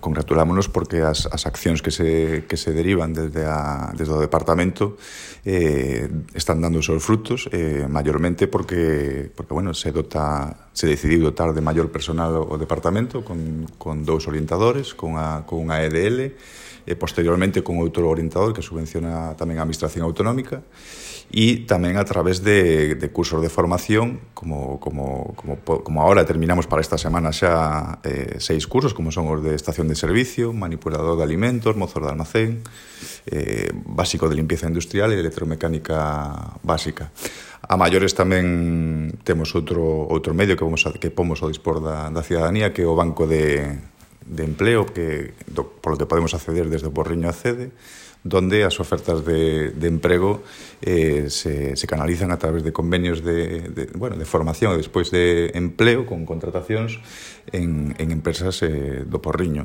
congratulámonos porque as accións que se derivan desde o departamento están dando os seus frutos, maiormente porque bueno, se decidiu dotar de maior personal o departamento con 2 orientadores, con unha EDL, e posteriormente con outro orientador que subvenciona tamén a Administración Autonómica, e tamén a través de cursos de formación, como ahora terminamos para esta semana xa 6 cursos, como son os de estación de servicio, manipulador de alimentos, mozos de almacén, básico de limpieza industrial e electromecánica básica. A maiores tamén temos outro medio que pomos ao dispor da cidadanía, que é o Banco de Empleo, polo que podemos acceder desde o Porriño Accede, donde as ofertas de emprego se canalizan a través de convenios de formación e despois de empleo con contratacións en empresas do Porriño.